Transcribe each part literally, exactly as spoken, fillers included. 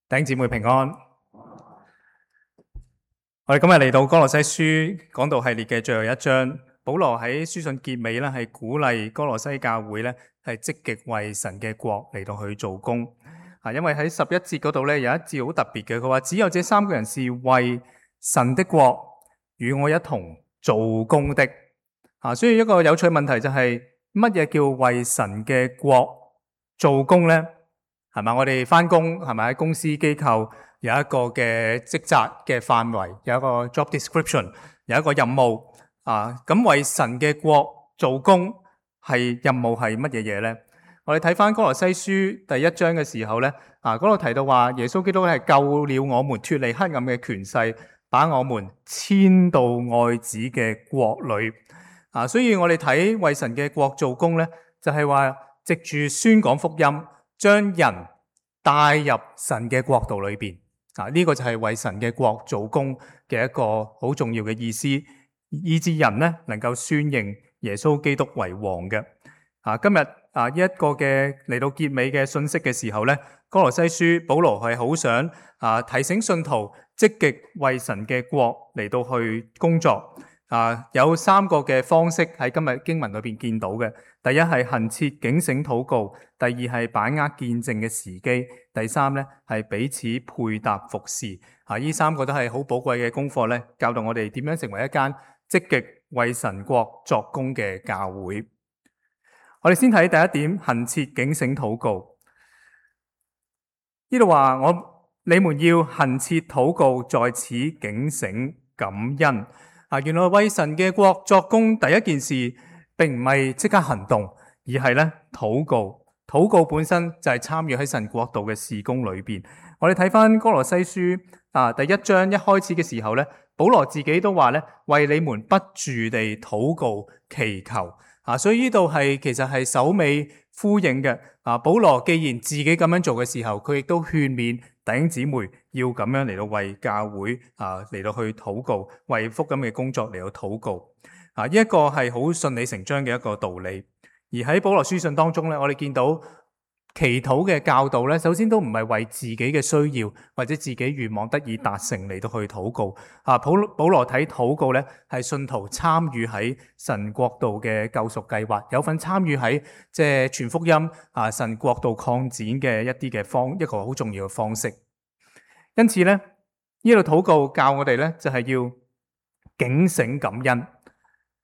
弟兄姊妹平安。我哋今日嚟到哥羅西書講道系列嘅最後一章，保羅喺書信結尾咧，係鼓勵哥羅西教會咧係積極為神嘅國嚟到去做工。啊，因為喺十一節嗰度咧有一節好特別嘅，佢話只有這三個人是為神的國與我一同做工的。啊，所以一個有趣問題就係乜嘢叫為神嘅國做工呢？係咪？我哋返工係咪喺公司機構有一個嘅職責嘅範圍，有一個 job description， 有一個任務啊？咁為神嘅國做工係任務係乜嘢嘢呢？我哋睇返哥羅西書第一章嘅時候呢，啊嗰度提到話耶穌基督係救了我們脫離黑暗嘅權勢，把我們遷到愛子嘅國裏。啊，所以我哋睇為神嘅國做工呢，就係話藉住宣講福音，將人帶入神嘅國度裏邊。啊，呢個就係為神嘅國做工嘅一個好重要嘅意思，以致人呢能夠宣認耶穌基督為王嘅。啊，今日啊呢一個嘅嚟到結尾嘅信息嘅時候呢，哥羅西書保羅係好想啊提醒信徒積極為神嘅國嚟到去工作。啊，有三個嘅方式喺今日經文裏邊見到嘅。第一係恆切警醒禱告，第二係把握見證嘅時機，第三咧係彼此配搭服侍。啊，呢三個都係好寶貴嘅功課咧，教導我哋點樣成為一間積極為神國作工嘅教會。我哋先睇第一點，恆切警醒禱告。呢度話我你們要恆切禱告，在此警醒感恩。啊，原來為神嘅國作工，第一件事並唔係即刻行動，而係咧禱告。禱告本身就係參與喺神國度嘅事工裏邊。我哋睇翻哥羅西書啊，第一章一開始嘅時候咧，保羅自己都話咧，為你們不住地禱告祈求。啊，所以呢度係其實係首尾呼應嘅。啊，保羅既然自己咁樣做嘅時候，佢亦都勸勉弟兄姊妹要咁樣嚟到為教會啊嚟到去禱告，為福音嘅工作嚟到禱告。啊，呢一個係好順理成章嘅一個道理。而喺保羅書信當中咧，我哋見到祈禱嘅教導咧，首先都唔係為自己嘅需要或者自己願望得以達成嚟到去禱告。啊，保保羅睇禱告咧，係信徒參與喺神國度嘅救贖計劃，有份參與喺即係傳福音啊，神國度擴展嘅一啲嘅方一個好重要嘅方式。因此咧，呢度禱告教我哋咧，就係要警醒感恩。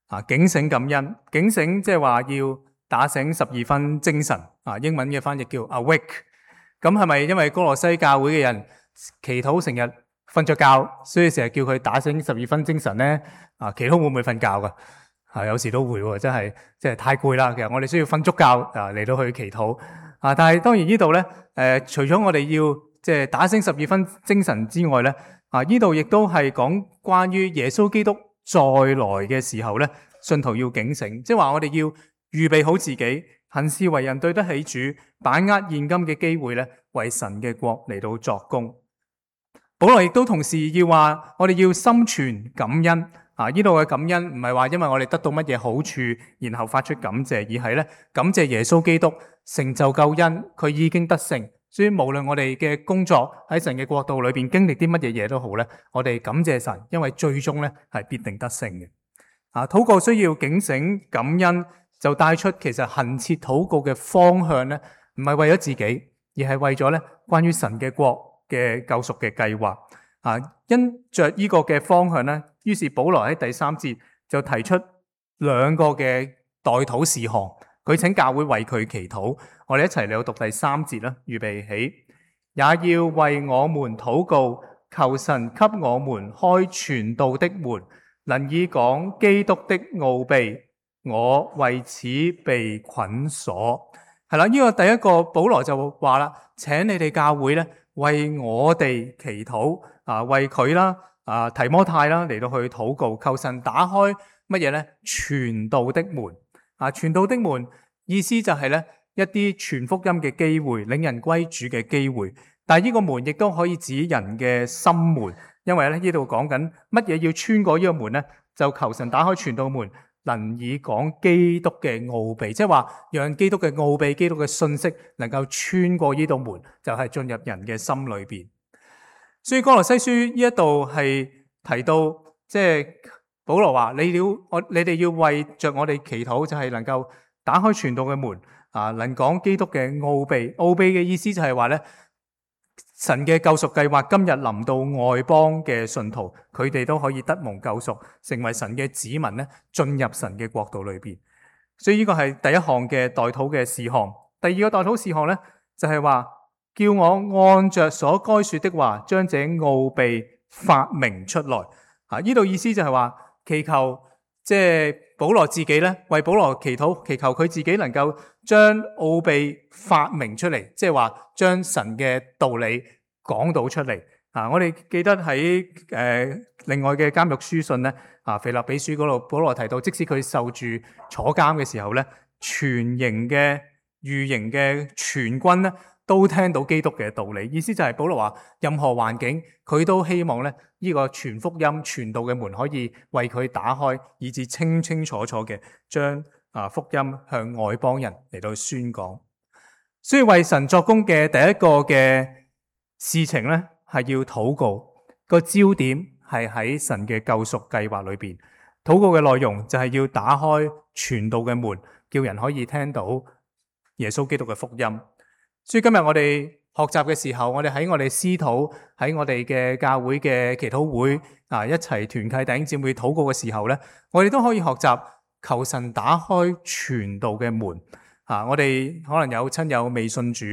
啊，警醒感恩，警醒即係話要打醒十二分精神。啊，英文嘅翻譯叫 awake。咁係咪因為哥羅西教會嘅人祈禱成日瞓着覺，所以成日叫佢打醒十二分精神呢？啊，祈禱會唔會瞓覺噶？啊，有時都會喎，真係即係太攰啦。其實我哋需要瞓足覺啊嚟到去祈禱。啊，但係當然呢度咧，誒、呃，除咗我哋要即係打醒十二分精神之外咧，啊，呢度亦都係講關於耶穌基督再來嘅時候咧，信徒要警醒，即係話我哋要預備好自己，行事為人對得起主，把握現今嘅機會咧，為神嘅國嚟到作工。保羅亦都同時要話，我哋要心存感恩。啊，呢度嘅感恩唔係話因為我哋得到乜嘢好處，然後發出感謝，而係咧感謝耶穌基督成就救恩，佢已經得勝。所以無論我哋嘅工作喺神嘅國度裏邊經歷啲乜嘢嘢都好咧，我哋感謝神，因為最終咧係必定得勝嘅。啊，禱告需要警醒感恩，就帶出其實恆切禱告嘅方向咧，唔係為咗自己，而係為咗咧關於神嘅國嘅救贖嘅計劃。啊，因着呢個嘅方向咧，於是保羅喺第三節就提出兩個嘅代禱事項，佢請教會為佢祈禱。我哋一齊嚟讀第三節啦，預備起，也要為我們禱告，求神給我們開傳道的門，能以講基督的奧秘。我為此被捆鎖。係啦，呢個第一個保羅就話啦，請你哋教會咧為我哋祈禱啊，為佢啦啊提摩太啦嚟到去禱告，求神打開乜嘢咧？傳道的門啊，傳道的門意思就係咧一啲傳福音嘅機會，領人歸主嘅機會。但係呢個門亦都可以指人嘅心門，因為咧呢度講緊乜嘢要穿過呢個門咧，就求神打開傳道門。能以講基督嘅奧秘，即係話讓基督嘅奧秘、基督嘅信息能夠穿過呢道門，就係進入人嘅心裏邊。所以哥羅西書呢一度係提到，即係保羅話：你要我，你哋要為着我哋祈禱，就係能夠打開傳道嘅門啊，能講基督嘅奧秘。奧秘嘅意思就係話咧，神嘅救贖計劃今日臨到外邦嘅信徒，佢哋都可以得蒙救贖，成為神嘅子民咧，進入神嘅國度裏邊。所以呢個係第一項嘅代禱嘅事項。第二個代禱事項咧，就係話叫我按着所該說的話，將這奧秘發明出來。啊，呢度意思就係話祈求，即係保羅自己咧，為保羅祈禱，祈求佢自己能夠將奧秘發明出嚟，即係話將神嘅道理講到出嚟。啊，我哋記得喺誒、呃、另外嘅監獄書信咧，啊腓立比書嗰度，保羅提到，即使佢受住坐監嘅時候咧，全營嘅御營嘅全軍咧，都聽到基督嘅道理。意思就係保羅話，任何環境佢都希望咧，呢個傳福音傳道嘅門可以為佢打開，以至清清楚楚嘅將啊福音向外邦人嚟到宣講。所以為神作工嘅第一個嘅事情咧，係要禱告，個焦點係喺神嘅救贖計劃裏邊。禱告嘅內容就係要打開傳道嘅門，叫人可以聽到耶穌基督嘅福音。所以今日我哋學習嘅時候，我哋喺我哋私禱，喺我哋嘅教會嘅祈禱會啊，一齊團契弟兄姊妹禱告嘅時候咧，我哋都可以學習求神打開傳道嘅門啊！我哋可能有親友未信主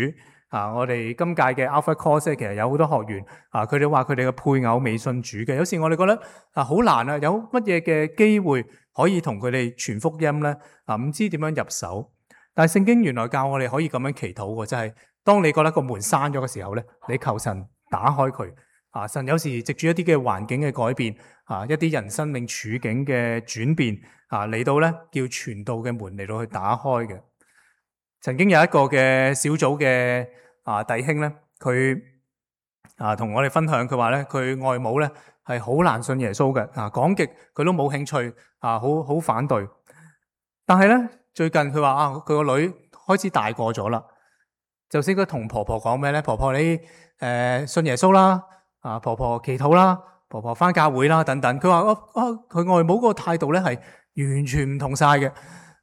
啊，我哋今屆嘅 Alpha Course 其實有好多學員啊，佢哋話佢哋嘅配偶未信主嘅，有時我哋覺得啊好難啊，有乜嘢嘅機會可以同佢哋傳福音咧？啊，唔知點樣入手。但係聖經原來教我哋可以咁樣祈禱嘅，就係當你覺得個門閂咗嘅時候咧，你求神打開佢。啊，神有時藉住一啲嘅環境嘅改變，啊，一啲人生命處境嘅轉變，啊嚟到咧叫傳道嘅門嚟到去打開嘅。曾經有一個嘅小組嘅啊弟兄咧，佢啊同我哋分享，佢話咧佢外母咧係好難信耶穌嘅，啊講極佢都冇興趣，啊好好反對。但係咧最近佢話啊，佢個女開始大個咗啦，就識得同婆婆講咩咧？婆婆你誒、呃、信耶穌啦，啊婆婆祈禱啦，婆婆返教會啦等等。佢話啊啊佢外母嗰個態度咧係完全唔同晒嘅，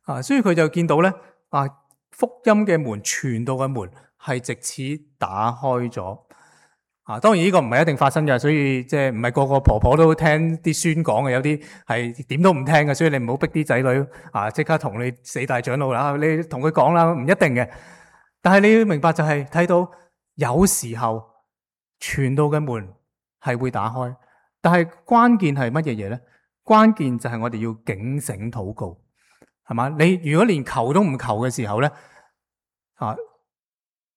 啊所以佢就見到咧啊。福音嘅門，傳道嘅門係藉此打開咗啊！當然呢個唔係一定發生嘅，所以即係唔係個個婆婆都聽啲孫講嘅，有啲係點都唔聽嘅，所以你唔好逼啲仔女啊！即刻同你四大長老啦，你同佢講啦，唔一定嘅。但係你要明白就係睇到有時候傳道嘅門係會打開，但係關鍵係乜嘢嘢咧？關鍵就係我哋要警醒禱告。係嘛？你如果連求都唔求嘅時候咧，啊，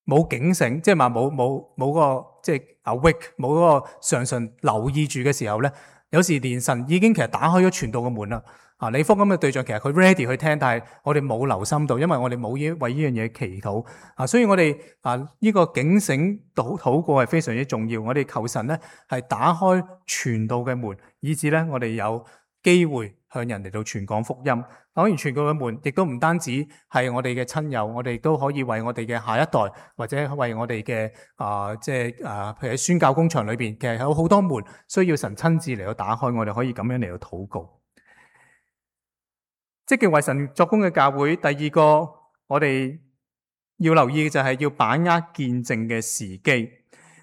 冇警醒，即係話冇冇冇個即係 awake，冇嗰個常常留意住嘅時候咧，有時連神已經其實打開咗傳道嘅門啦。啊，你福音嘅對象其實佢 ready 去聽，但係我哋冇留心到，因為我哋冇依為呢樣嘢祈禱啊，所以我哋啊呢個警醒禱禱告係非常之重要。我哋求神咧係打開傳道嘅門，以致咧我哋有機會向人嚟到傳講福音。當然傳道嘅門亦都唔單止係我哋嘅親友，我哋都可以為我哋嘅下一代，或者為我哋嘅啊，即係啊，譬如喺宣教工場裏邊，其實有好多門需要神親自嚟到打開，我哋可以咁樣嚟到禱告。積極為神作工嘅教會，第二個我哋要留意嘅就係要把握見證嘅時機。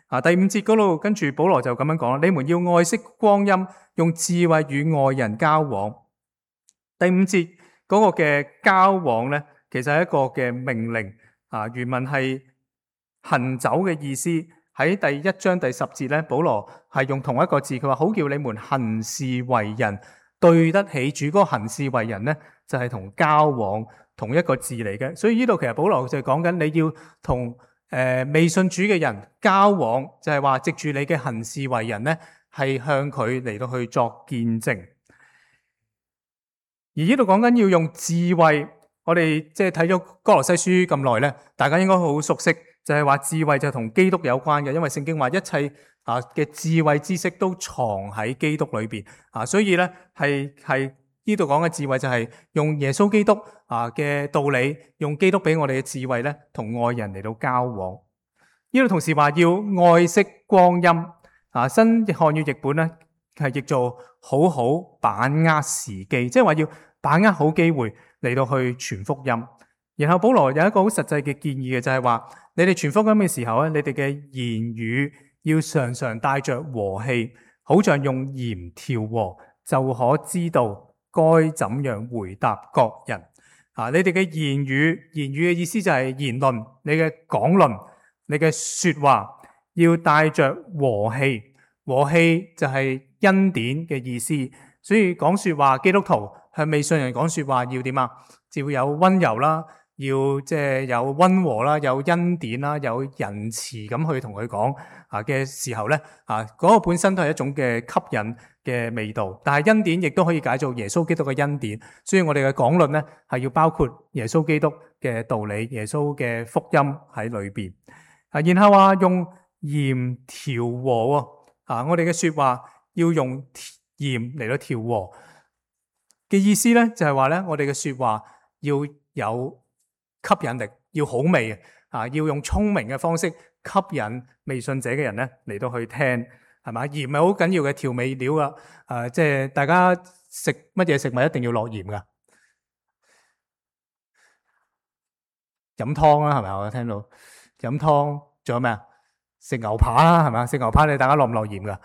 啊，第五節嗰度跟住保羅就咁樣講啦，你們要愛惜光陰，用智慧與外人交往。第五節嗰個嘅交往咧，其實係一個嘅命令啊，原文係行走嘅意思。喺第一章第十節咧，保羅係用同一個字，佢話好叫你們行事為人對得起主。嗰個行事為人咧，就係同交往同一個字嚟嘅。所以呢度其實保羅就係講緊你要同誒未信主嘅人交往，就係話藉住你嘅行事為人咧，係向佢嚟到去作見證。而呢度講緊要用智慧，我哋即係睇咗哥羅西書咁耐咧，大家應該好熟悉，就係話智慧就同基督有關嘅，因為聖經話一切啊嘅智慧知識都藏喺基督裏邊啊，所以咧係係呢度講嘅智慧就係用耶穌基督啊嘅道理，用基督俾我哋嘅智慧咧，同外人嚟到交往。呢度同時話要愛惜光陰，啊，新漢語譯本咧係譯做好好把握時機，即係話要把握好機會嚟到去傳福音。然後保羅有一個好實際嘅建議嘅，就係話你哋傳福音嘅時候咧，你哋嘅言語要常常帶着和氣，好像用鹽調和，就可知道該怎樣回答各人。啊，你哋嘅言語，言語嘅意思就係言論，你嘅講論，你嘅說話要帶着和氣，和氣就係恩典嘅意思。所以講說話，基督徒向未信人講說話要點啊？就會有溫柔啦，要即係有溫和啦，有恩典啦，有仁慈咁去同佢講啊嘅時候咧，啊嗰個本身都係一種嘅吸引嘅味道。但係恩典亦都可以解做耶穌基督嘅恩典，所以我哋嘅講論咧係要包括耶穌基督嘅道理、耶穌嘅福音喺裏邊。啊，然後話用鹽調和喎，啊，我哋嘅說話要用鹽嚟到調和嘅意思咧，就係話咧，我哋嘅說話要有吸引力，要好味啊，要用聰明嘅方式吸引未信者嘅人咧嚟到去聽，係嘛？鹽係好緊要嘅調味料啊，誒，即係大家食乜嘢食物一定要落鹽噶，飲湯啦，係咪？我聽到飲湯，仲有咩啊？食牛扒啦，係嘛？食牛扒你大家落唔落鹽噶？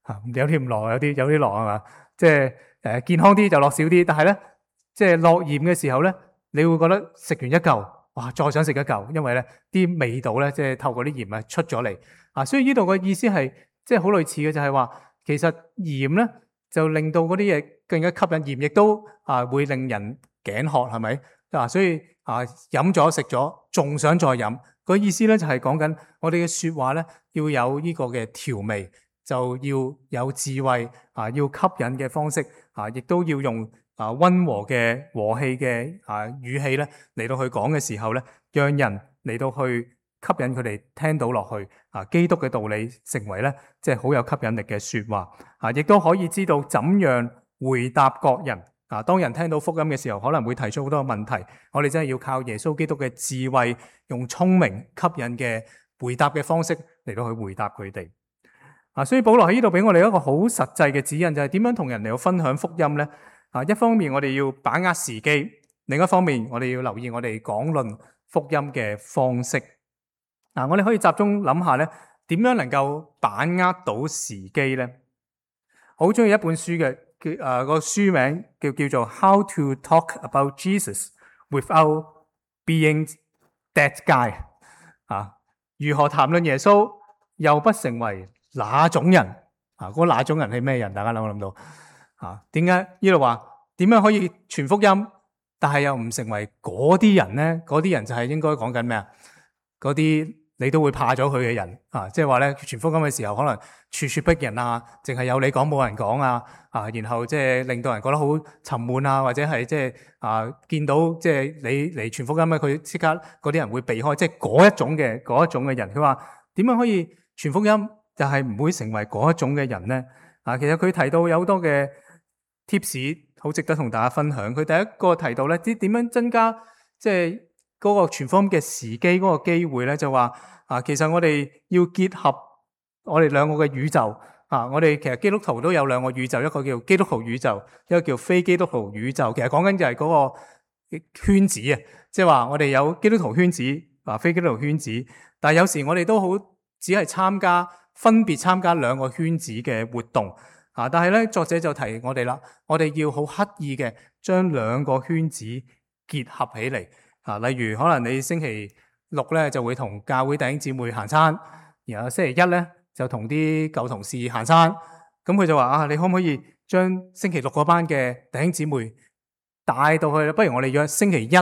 吓，有啲唔落，有啲有啲落係嘛？即係誒健康啲就落少啲，但係咧，即係落鹽嘅時候咧，你會覺得食完一嚿，哇，再想食一嚿，因為咧啲味道咧，即係透過啲鹽啊出咗嚟啊，所以呢度嘅意思係即係好類似嘅，就係話其實鹽咧就令到嗰啲嘢更加吸引，鹽亦都啊會令人頸渴，係咪啊？所以啊飲咗食咗，仲想再飲。個意思咧就係講緊我哋嘅說話咧要有呢個嘅調味，就要有智慧啊，要吸引嘅方式啊，亦都要用啊溫和嘅和氣嘅啊語氣咧嚟到去講嘅時候咧，讓人嚟到去吸引佢哋聽到落去啊，基督嘅道理成為咧即係好有吸引力嘅說話啊，亦都可以知道怎樣回答各人。啊！當人聽到福音嘅時候，可能會提出好多問題，我哋真係要靠耶穌基督嘅智慧，用聰明吸引嘅回答嘅方式嚟到去回答佢哋。啊！所以保羅喺呢度俾我哋一個好實際嘅指引，就係點樣同人哋去分享福音呢？啊！一方面我哋要把握時機，另一方面我哋要留意我哋講論福音嘅方式。嗱，我哋可以集中諗下呢，點樣能夠把握到時機呢？好中意一本書嘅。叫誒個書名叫叫做 How to Talk About Jesus Without Being That Guy 啊，如何談論耶穌又不成為那種人啊？嗰那種人係咩人？大家諗唔諗到啊？點解呢度話點樣可以傳福音，但係又唔成為嗰啲人咧？嗰啲人就係應該講緊咩啊？嗰啲你都會怕咗佢嘅人啊，即係話咧傳福音嘅時候，可能處處逼人啊，淨係有你講冇人講啊，啊，然後即係令到人覺得好沉悶啊，或者係即係啊見到即係你嚟傳福音咧，佢即刻嗰啲人會避開，即係嗰一種嘅嗰一種嘅人。佢話點樣可以傳福音，就係唔會成為嗰一種嘅人咧？啊，其實佢提到有好多嘅 tips，好值得同大家分享。佢第一個提到咧，啲點樣增加即係嗰個傳福音嘅時機嗰個機會咧，就話啊，其實我哋要結合我哋兩個嘅宇宙啊，我哋其實基督徒都有兩個宇宙，一個叫基督徒宇宙，一個叫非基督徒宇宙。其實講緊就係嗰個圈子啊，即係話我哋有基督徒圈子啊，非基督徒圈子。但係有時我哋都好只係參加分別參加兩個圈子嘅活動啊。但係咧，作者就提我哋啦，我哋要好刻意嘅將兩個圈子結合起嚟。啊，例如可能你星期六咧就會同教會弟兄姊妹行山，然後星期一咧就同啲舊同事行山。咁佢就話啊，你可唔可以將星期六嗰班嘅弟兄姊妹帶到去？不如我哋約星期一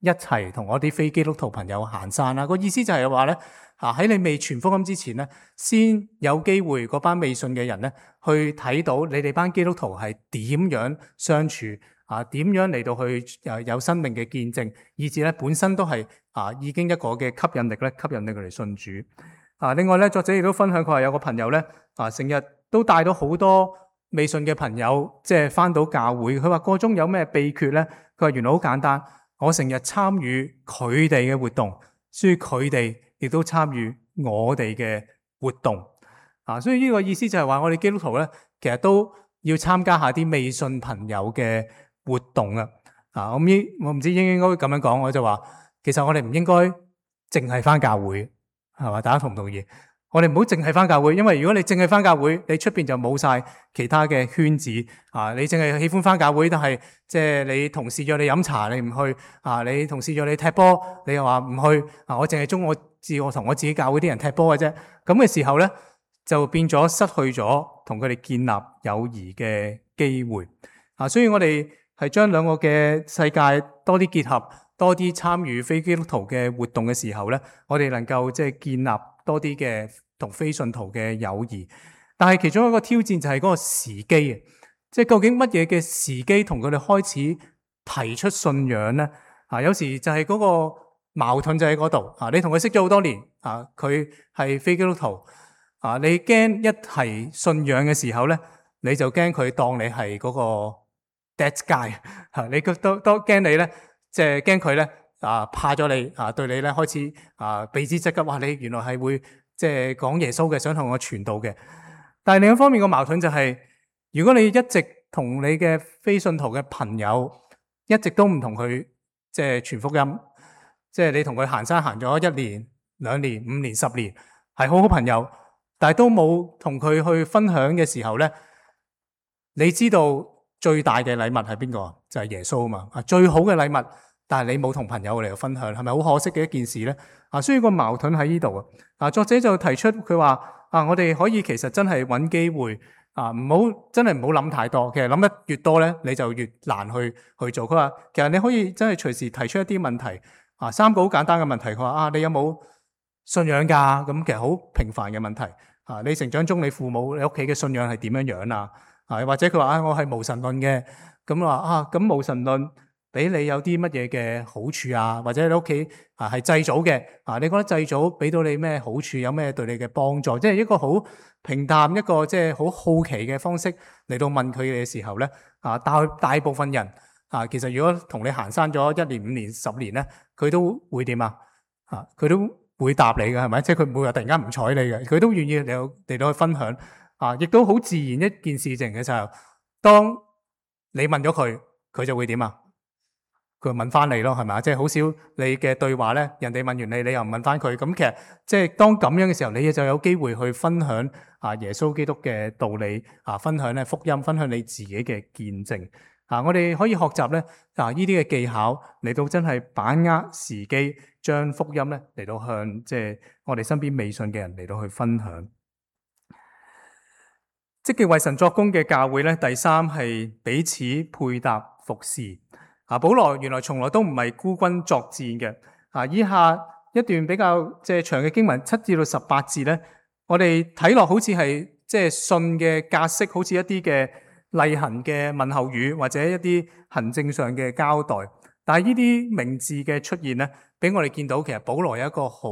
一齊同我啲非基督徒朋友行山啦。個意思就係話咧，啊喺你未傳福音之前咧，先有機會嗰班未信嘅人咧去睇到你哋班基督徒係點樣相處。啊，點樣嚟到去誒有生命嘅見證，以至咧本身都係啊已經一個嘅吸引力咧，吸引力佢嚟信主。啊，另外咧，作者亦都分享佢話有個朋友咧，啊成日都帶到好多未信嘅朋友，即係返到教會。佢話個中有咩秘訣咧？佢話原來好簡單，我成日參與佢哋嘅活動，所以佢哋亦都參與我哋嘅活動。啊，所以呢個意思就係話我哋基督徒咧，其實都要參加下啲未信朋友嘅活動啊。啊，我唔知我唔知應唔應該咁樣講，我就話其實我哋唔應該淨係翻教會，係嘛？大家同唔同意？我哋唔好淨係翻教會，因為如果你淨係翻教會，你出邊就冇晒其他嘅圈子啊！你淨係喜歡翻教會，但係即係你同事約你飲茶，你唔去啊！你同事約你踢波，你又話唔去啊！我淨係中我自我同我自己教會啲人踢波嘅啫。咁嘅時候咧，就變咗失去咗同佢哋建立友誼嘅機會啊！所以我哋係將兩個嘅世界多啲結合，多啲參與非基督徒嘅活動嘅時候咧，我哋能夠即係建立多啲嘅同非信徒嘅友誼。但係其中一個挑戰就係嗰個時機啊，即係究竟乜嘢嘅時機同佢哋開始提出信仰咧？啊，有時就係嗰個矛盾就喺嗰度啊！你同佢識咗好多年啊，佢係非基督徒啊，你驚一提信仰嘅時候咧，你就驚佢當你係嗰個 dead guy 嚇，你都都驚你咧，即係驚佢咧啊怕咗你啊，對你咧開始啊避之則吉。哇！你原來係會即係講耶穌嘅，想同我傳道嘅。但係另一方面個矛盾就係，如果你一直同你嘅非信徒嘅朋友一直都唔同佢即係傳福音，即係你同佢行山行咗一年、兩年、五年、十年，係好好朋友，但係都冇同佢去分享嘅時候咧，你知道最大嘅禮物係邊個？就係耶穌啊嘛！啊，最好嘅禮物，但係你冇同朋友嚟分享，係咪好可惜嘅一件事咧？啊，所以個矛盾喺呢度啊！啊，作者就提出佢話啊，我哋可以其實真係揾機會啊，唔好真係唔好諗太多。其實諗得越多咧，你就越難去去做。佢話其實你可以真係隨時提出一啲問題啊，三個好簡單嘅問題。佢話啊，你有冇信仰㗎？咁其實好平凡嘅問題啊。你成長中你父母你屋企嘅信仰係點樣樣啊？啊，或者佢話啊，我係無神論嘅。咁話啊，咁無神論俾你有啲乜嘢嘅好處啊？或者你屋企啊係祭祖嘅啊？你覺得祭祖俾到你咩好處？有咩對你嘅幫助？即係一個好平淡、一個即係好好奇嘅方式嚟到問佢嘅時候咧，啊大大部分人啊，其實如果同你行山咗一年、五年、十年咧，佢都會點啊？啊，佢都會答你嘅，係咪？即係佢唔會話突然間唔睬你嘅，佢都願意嚟到嚟到去分享啊，亦都好自然一件事情嘅時候，當你問咗佢，佢就會點啊？佢問翻你咯，係咪？即係好少你嘅對話咧，人哋問完你，你又唔問翻佢。咁其實即係當咁樣嘅時候，你就有機會去分享啊耶穌基督嘅道理啊，分享咧福音，分享你自己嘅見證啊。我哋可以學習咧啊呢啲嘅技巧嚟到真係把握時機，將福音咧嚟到向即係我哋身邊未信嘅人嚟到去分享。積極為神作工嘅教會咧，第三係彼此配搭服侍。啊，保羅原來從來都唔係孤軍作戰嘅。啊，以下一段比較即係長嘅經文七至到十八節咧，我哋睇落好似係即係信嘅格式，好似一啲嘅例行嘅問候語或者一啲行政上嘅交代。但係呢啲名字嘅出現咧，俾我哋見到其實保羅有一個好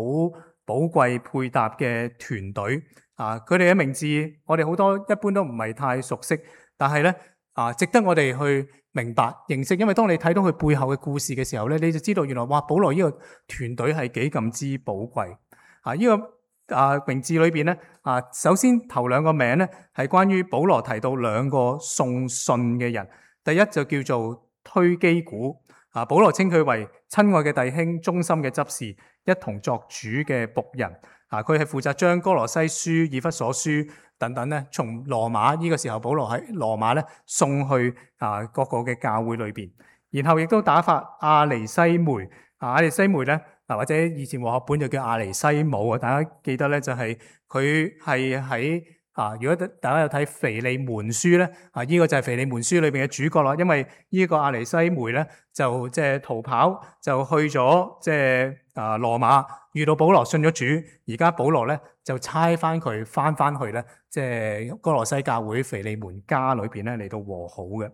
寶貴配搭嘅團隊。啊，佢哋嘅名字我哋好多一般都唔係太熟悉，但係咧啊，值得我哋去明白認識，因為當你睇到佢背後嘅故事嘅時候咧，你就知道原來哇，保羅呢個團隊係幾咁之寶貴啊！呢、這個啊名字裏邊咧啊，首先頭兩個名咧係關於保羅提到兩個送信嘅人，第一就叫做推基古啊，保羅稱佢為親愛嘅弟兄、忠心嘅執事，一同作主嘅僕人啊，佢係負責將哥羅西書、以弗所書等等咧，從羅馬呢個時候，保羅喺羅馬咧送去啊各個嘅教會裏邊，然後亦都打發阿尼西梅啊，阿尼西梅咧啊，或者以前和合本就叫阿尼西姆啊，大家記得咧就係佢係喺啊，如果大家有睇腓利門書咧啊，呢個就係腓利門書裏邊嘅主角啦，因為呢個阿尼西梅咧就即係逃跑，就去咗即係啊羅馬，遇到保羅信咗主，而家保羅咧就差翻佢翻翻去咧，即係哥羅西教會腓利門家裏邊咧嚟到和好嘅。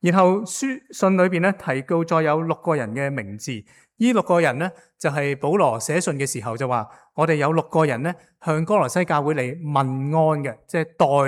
然後書信裏邊咧提到再有六個人嘅名字，呢六個人咧就係保羅寫信嘅時候就話，我哋有六個人咧向哥羅西教會嚟問安嘅，即係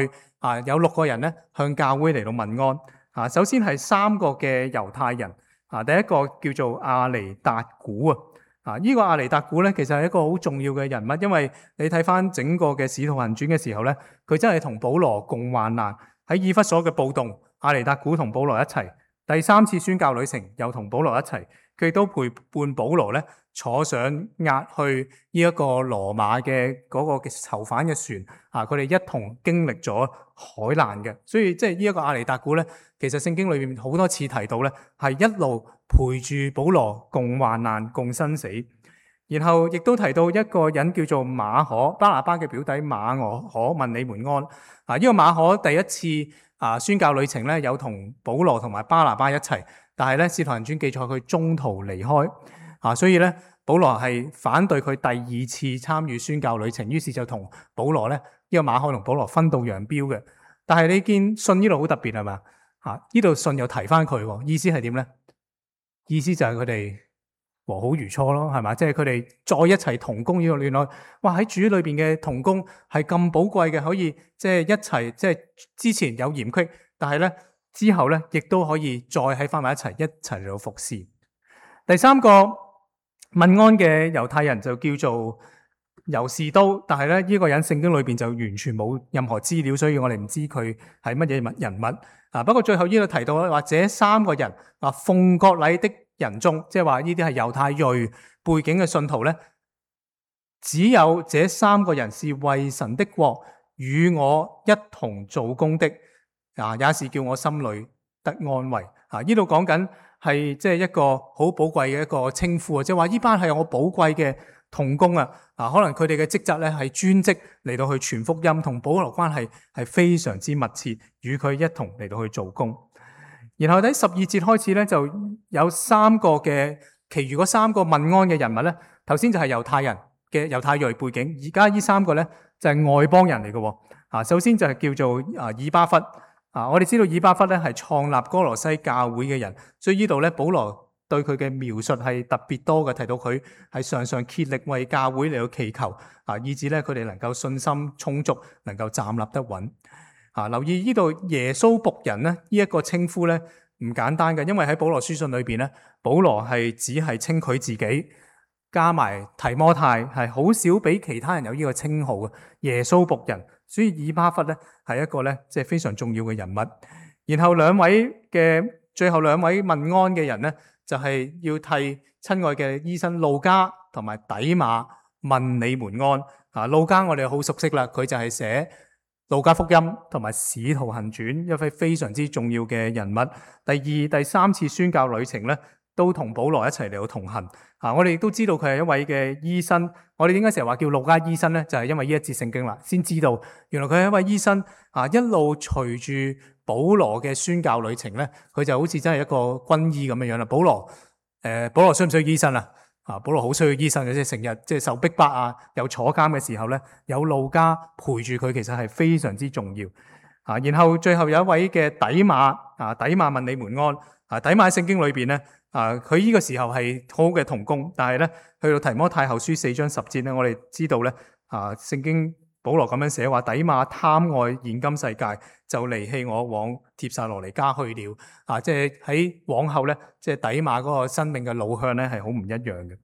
代啊有六個人咧向教會嚟到問安啊。首先係三個嘅猶太人啊，第一個叫做亞尼達古啊。啊，呢個亞尼達古咧，其實係一個好重要嘅人物，因為你睇翻整個嘅使徒行傳嘅時候咧，佢真係同保羅共患難。喺以弗所嘅暴動，亞尼達古同保羅一齊；第三次宣教旅程又同保羅一齊，佢亦都陪伴保羅咧坐上押去呢一個羅馬嘅嗰個嘅囚犯嘅船啊，佢哋一同經歷咗海難嘅。所以即係呢一個亞尼達古咧，其實聖經裏面好多次提到咧，係一路陪住保羅共患難共生死。然後亦都提到一個人叫做馬可，巴拿巴嘅表弟馬可問你們安。啊，呢個馬可第一次啊宣教旅程咧，有同保羅同埋巴拿巴一齊，但係咧使徒行傳記載佢中途離開。啊，所以咧保羅係反對佢第二次參與宣教旅程，於是就同保羅咧呢、這個馬可同保羅分道揚鑣嘅。但係你見信呢度好特別係嘛？啊，呢度信又提翻佢，意思係點咧？意思就係佢哋和好如初咯，係嘛？即係佢哋再一齊同工呢個戀愛，哇！喺主裏邊嘅同工係咁寶貴嘅，可以即係一齊，即係之前有嫌隙，但係咧之後咧亦都可以再喺翻埋一齊，一齊嚟到服侍。第三個問安嘅猶太人就叫做猶士都，但係咧呢個人聖經裏邊就完全冇任何資料，所以我哋唔知佢係乜嘢人物啊。不過最後呢度提到或者三個人啊，奉割禮的人中，即係話呢啲係猶太裔背景嘅信徒咧，只有這三個人是為神的國與我一同做工的啊，也是叫我心裏得安慰啊。呢度講緊係即係一個好寶貴嘅一個稱呼啊，即係話呢班係我寶貴嘅同工啊。啊，可能佢哋嘅職責咧係專職嚟到去傳福音，同保羅關係係非常之密切，與佢一同嚟到去做工。然後喺十二節開始咧，就有三個嘅，其餘嗰三個問安嘅人物咧，頭先就係猶太人嘅猶太裔背景，而家呢三個咧就係外邦人嚟嘅。啊，首先就係叫做啊以巴弗。啊，我哋知道以巴弗咧係創立哥羅西教會嘅人，所以呢度咧保羅對佢嘅描述係特別多嘅，提到佢係常常竭力為教會嚟到祈求，啊，以致咧佢哋能夠信心充足，能夠站立得穩。啊！留意呢度耶穌僕人咧，呢、這、一個稱呼咧唔簡單嘅，因為喺保羅書信裏邊咧，保羅係只係稱佢自己，加埋提摩太，係好少俾其他人有呢個稱號嘅耶穌僕人。所以以巴弗咧係一個咧即係非常重要嘅人物。然後兩位嘅最後兩位問安嘅人咧，就係、是、要替親愛嘅醫生路加同埋底馬問你們安。啊，路加我哋好熟悉啦，佢就係寫路加福音同埋使徒行傳，一位非常之重要嘅人物。第二、第三次宣教旅程咧，都同保羅一齊嚟到同行。啊，我哋亦都知道佢係一位嘅醫生。我哋點解成日話叫路加醫生咧？就係、是、因為呢一節聖經啦，先知道原來佢係一位醫生。啊，一路隨住保羅嘅宣教旅程咧，佢就好似真係一個軍醫咁樣樣啦。保羅，誒、呃，保羅需唔需要醫生啊？啊，保羅好需要醫生嘅，即係成日即係受逼迫啊，有坐監嘅時候咧，有路加陪住佢，其實係非常之重要啊。然後最後有一位嘅底馬啊，底馬問你們安啊。底馬喺聖經裏邊咧啊，佢呢個時候係好好嘅同工，但係咧去到提摩太後書四章十節咧，我哋知道咧啊，聖經保羅咁樣寫話，底馬貪愛現今世界，就離棄我往帖撒羅尼迦去了啊！即係喺往後咧，即係底馬嗰個生命嘅路向咧係好唔一樣嘅。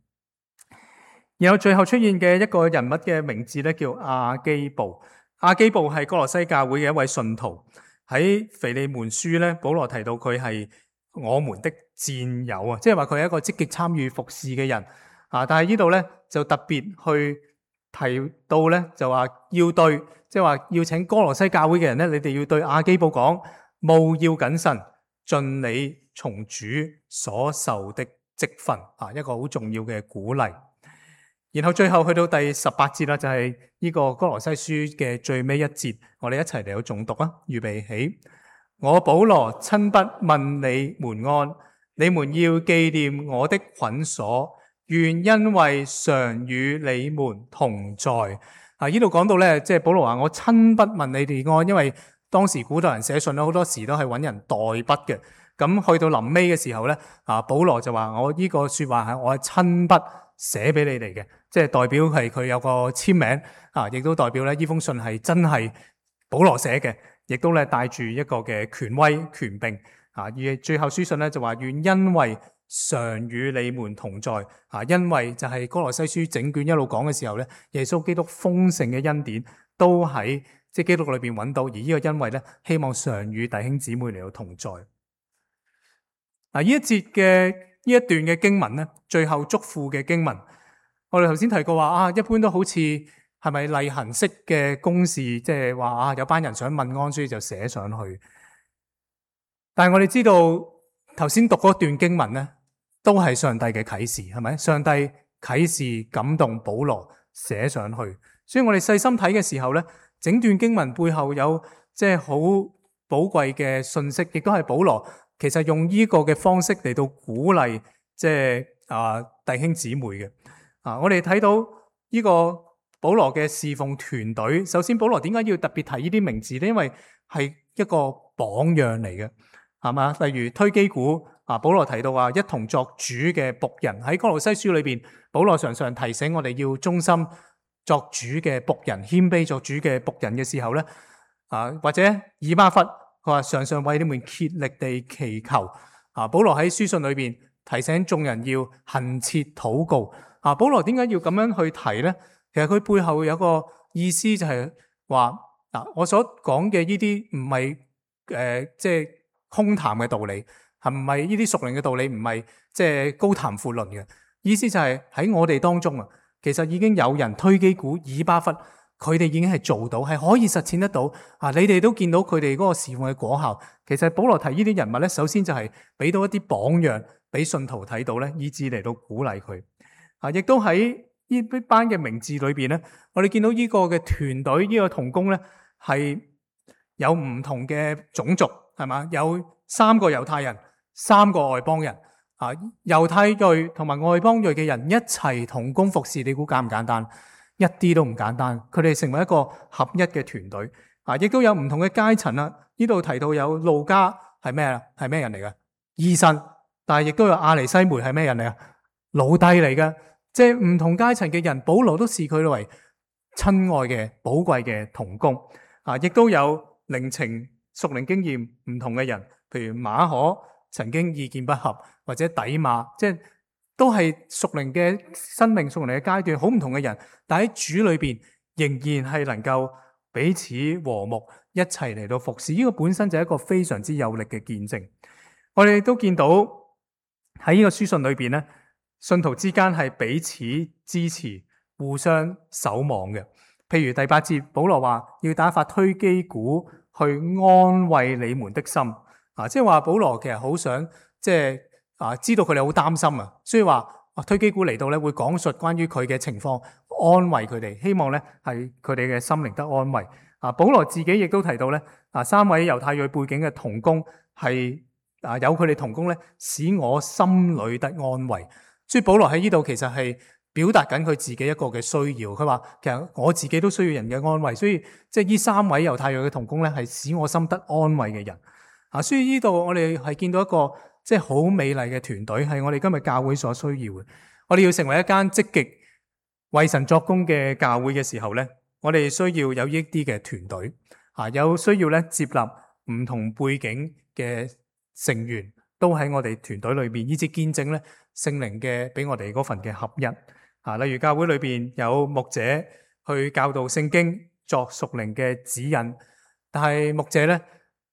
然後最後出現嘅一個人物嘅名字咧叫亞基布。亞基布係哥羅西教會嘅一位信徒。喺腓利門書咧，保羅提到佢係我們的戰友啊，即係話佢係一個積極參與服侍嘅人啊。但係呢度咧就特別去提到咧，就話要對，即係話要請哥羅西教會嘅人咧，你哋要對亞基布講，務要謹慎，盡你從主所受的職分啊，一個好重要嘅鼓勵。然後最後去到第十八節啦，就係呢個哥羅西書嘅最尾一節，我哋一齊嚟到誦讀啊！預備起，我保羅親筆問你們安，你們要紀念我的捆鎖，願因為常與你們同在。啊，呢度講到咧，即係保羅話我親筆問你哋安，因為當時古代人寫信咧，好多時都係揾人代筆嘅。咁去到臨尾嘅時候咧，啊，保羅就話我呢個說話係我係親筆寫俾你哋嘅，即係代表係佢有個簽名啊，亦都代表咧呢封信係真係保羅寫嘅，亦都咧帶住一個嘅權威權柄啊。而最後書信咧就話願因為常與你們同在啊，因為就係哥羅西書整卷一路講嘅時候咧，耶穌基督豐盛嘅恩典都喺即係基督裏邊揾到，而呢個因為咧，希望常與弟兄姊妹嚟到同在。嗱，呢一節嘅呢一段嘅經文咧，最後囑咐嘅經文，我哋頭先提過話啊，一般都好似係咪例行式嘅公事，即係話啊，有班人想問安，所以就寫上去。但係我哋知道頭先讀嗰段經文咧，都係上帝嘅啟示，係咪？上帝啟示感動保羅寫上去，所以我哋細心睇嘅時候咧，整段經文背後有即係好寶貴嘅信息，亦都係保羅其實用呢個嘅方式嚟到鼓勵即係啊弟兄姊妹嘅啊。我哋睇到呢個保羅嘅侍奉團隊，首先保羅點解要特別提呢啲名字咧？因為係一個榜樣嚟嘅，係嘛？例如推基古啊，保羅提到話一同作主嘅僕人，喺哥羅西書裏邊，保羅常常提醒我哋要忠心作主嘅僕人，謙卑作主嘅僕人嘅時候咧，啊或者以巴弗佢話常常為你們竭力地祈求。啊，保羅喺書信裏邊提醒眾人要懇切禱告。啊，保羅點解要咁樣去提咧？其實佢背後有個意思就係話嗱，我所講嘅呢啲唔係誒即係空談嘅道理，係唔係呢啲屬靈嘅道理？唔係即係高談闊論嘅意思，就係喺我哋當中啊，其實已經有人推基古、以巴弗，佢哋已經係做到，係可以實踐得到啊！你哋都見到佢哋嗰個侍奉嘅果效。其實保羅提呢啲人物咧，首先就係俾到一啲榜樣俾信徒睇到咧，以致嚟到鼓勵佢啊！亦都喺呢班嘅名字裏邊咧，我哋見到呢個嘅團隊，呢個同工咧係有唔同嘅種族，係嘛？有三個猶太人，三個外邦人啊！猶太裔同埋外邦裔嘅人一齊同工服侍，你估簡唔簡單？一啲都唔簡單。佢哋成為一個合一嘅團隊啊！亦都有唔同嘅階層啦。呢度提到有路加係咩啊？係咩人嚟嘅？醫生，但係亦都有阿尼西梅係咩人嚟啊？奴隸嚟嘅。即係唔同階層嘅人，保羅都視佢為親愛嘅、寶貴嘅同工啊！亦都有靈情、屬靈經驗唔同嘅人，譬如馬可曾經意見不合，或者底馬，即係都係屬靈嘅生命、屬靈嘅階段，好唔同嘅人，但喺主裏邊仍然係能夠彼此和睦，一齊嚟到服侍。呢個本身就係一個非常之有力嘅見證。我哋都見到喺呢個書信裏邊咧，信徒之間係彼此支持、互相守望嘅。譬如第八節，保羅話要打發推基古去安慰你們的心啊，即係話保羅其實好想即係啊，知道佢哋好擔心啊，所以話啊推基古嚟到咧會講述關於佢嘅情況，安慰佢哋，希望咧係佢哋嘅心靈得安慰啊。保羅自己亦都提到咧啊，三位猶太裔背景嘅同工係啊有佢哋同工咧，使我心裏得安慰。所以保羅喺呢度其實係表達緊佢自己一個嘅需要。佢話其實我自己都需要人嘅安慰，所以即係呢三位猶太裔嘅同工咧，係使我心得安慰嘅人啊。所以呢度我哋係見到一個即係好美麗嘅團隊，係我哋今日教會所需要嘅。我哋要成為一間積極為神作工嘅教會嘅時候咧，我哋需要有呢啲嘅團隊啊，有需要咧接納唔同背景嘅成員都喺我哋團隊裏邊，以至見證咧聖靈嘅俾我哋嗰份嘅合一啊。例如教會裏邊有牧者去教導聖經，作屬靈嘅指引，但係牧者咧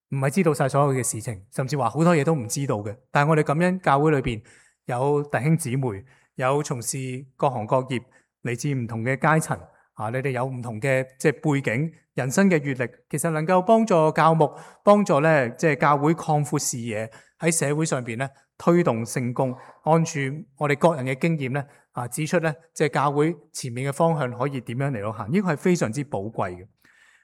唔係知道晒所有嘅事情，甚至話好多嘢都唔知道嘅。但係我哋感恩教會裏邊有弟兄姊妹，有從事各行各業，嚟自唔同嘅階層啊，你哋有唔同嘅即係背景、人生嘅閱歷，其實能夠幫助教牧，幫助咧即係教會擴闊視野，喺社會上邊咧推動聖工，按住我哋各人嘅經驗咧啊，指出咧即係教會前面嘅方向可以點樣嚟到行，呢個係非常之寶貴嘅。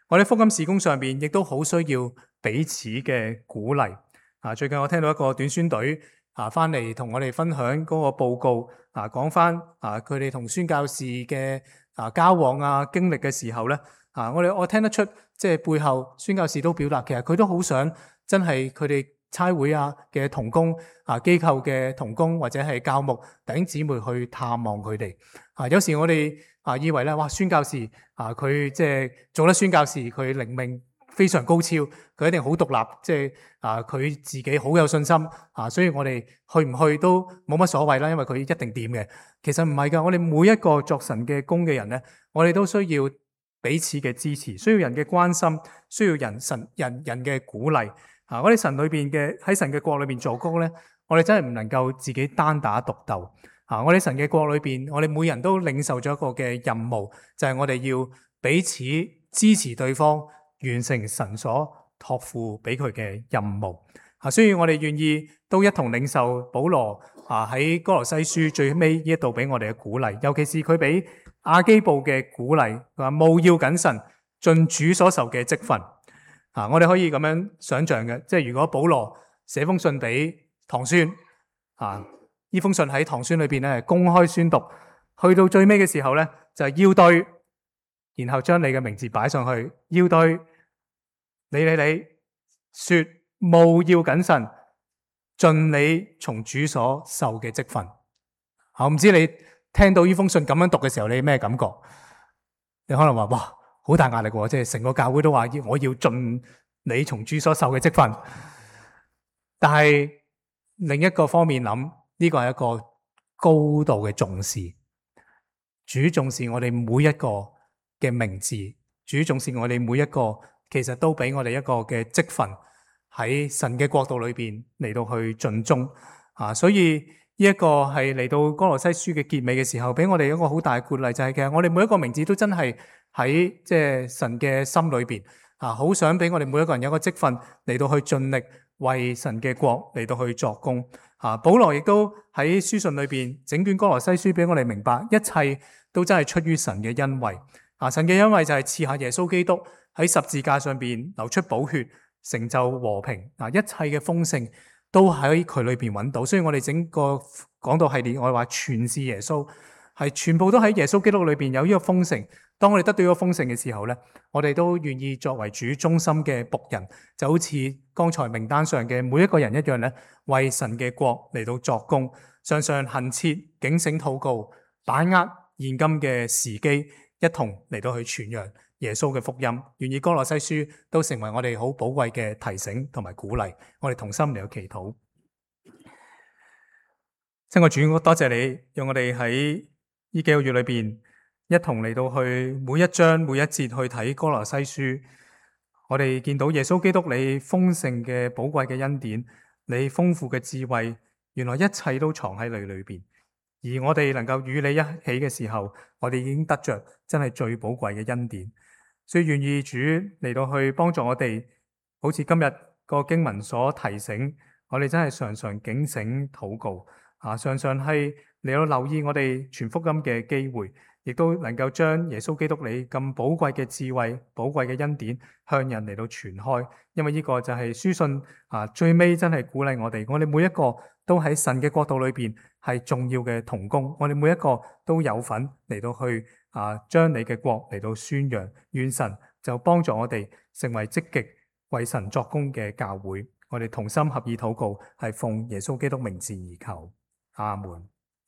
我哋福音事工上邊亦都好需要彼此嘅鼓勵啊！最近我聽到一個短宣隊啊翻嚟同我哋分享嗰個報告啊，講翻啊佢哋同宣教士嘅啊交往啊經歷嘅時候咧啊，我哋我聽得出即係背後宣教士都表達，其實佢都好想真係佢哋差會啊嘅同工啊機構嘅同工或者係教牧弟兄姊妹去探望佢哋啊。有時我哋啊以為咧哇宣教士啊佢即係做得宣教士佢靈命非常高超，佢一定好獨立，即係啊佢自己好有信心啊，所以我哋去唔去都冇乜所謂啦，因為佢一定掂嘅。其實唔係噶，我哋每一個作神嘅工嘅人咧，我哋都需要彼此嘅支持，需要人嘅關心，需要人神人人嘅鼓勵啊！我哋神裏邊嘅喺神嘅國裏邊做工咧，我哋真係唔能夠自己單打獨鬥啊！我哋神嘅國裏邊，我哋每人都領受咗一個嘅任務，就係我哋要彼此支持對方，完成神所託付俾佢嘅任務啊！所以我哋願意都一同領受保羅啊喺哥羅西書最尾呢一度俾我哋嘅鼓勵，尤其是佢俾亞基布嘅鼓勵，佢話務要謹慎，盡主所受嘅職分啊！我哋可以咁樣想象嘅，即係如果保羅寫封信俾堂孫啊，呢封信喺堂孫裏邊咧公開宣讀，去到最尾嘅時候咧就係要對。然後將你嘅名字擺上去，要對你你你說務要謹慎，盡你從主所受嘅職分。我唔知你聽到呢封信咁樣讀嘅時候，你咩感覺？你可能話哇，好大壓力喎！即係成個教會都話要我要盡你從主所受嘅職分。但係另一個方面諗，呢個係一個高度嘅重視。主重視我哋每一個嘅名字，主重視我哋每一個，其實都俾我哋一個嘅職分喺神嘅國度裏邊嚟到去盡忠啊！所以呢一個係嚟到哥羅西書嘅結尾嘅時候，俾我哋一個好大嘅鼓勵，就係其實我哋每一個名字都真係喺即係神嘅心裏邊啊！好想俾我哋每一個人有一個職分嚟到去盡力為神嘅國嚟到去作工啊！保羅亦都喺書信裏邊整卷哥羅西書俾我哋明白，一切都真係出於神嘅恩惠。啊！神嘅恩惠就係賜下耶穌基督喺十字架上邊流出寶血，成就和平。啊！一切嘅豐盛都喺佢裏邊揾到，所以我哋整個講道系列，我哋話全是耶穌，係全部都喺耶穌基督裏邊有呢個豐盛。當我哋得到呢個豐盛嘅時候咧，我哋都願意作為主忠心嘅僕人，就好似剛才名單上嘅每一個人一樣咧，為神嘅國嚟到作工，常常懇切警醒禱告，把握現今嘅時機。一同嚟到去傳揚耶穌嘅福音，願意哥羅西書都成為我哋好寶貴嘅提醒同埋鼓勵。我哋同心嚟到祈禱。親愛主，多謝你，讓我哋喺呢幾個月裏邊一同嚟到去每一章每一節去睇哥羅西書。我哋見到耶穌基督你豐盛嘅寶貴嘅恩典，你豐富嘅智慧，原來一切都藏喺你裏邊。而我哋能夠與你一起嘅時候，我哋已經得着真係最寶貴嘅恩典，所以願意主嚟到去幫助我哋，好似今日個經文所提醒，我哋真係常常警醒禱告啊，常常係嚟到留意我哋傳福音嘅機會，亦都能夠將耶穌基督你咁寶貴嘅智慧、寶貴嘅恩典向人嚟到傳開，因為呢個就係書信啊，最尾真係鼓勵我哋，我哋每一個都喺神嘅國度裏邊係重要嘅同工，我哋每一個都有份嚟到去啊，將你嘅國嚟到宣揚，願神就幫助我哋成為積極為神作工嘅教會，我哋同心合意禱告，係奉耶穌基督名字而求，阿門。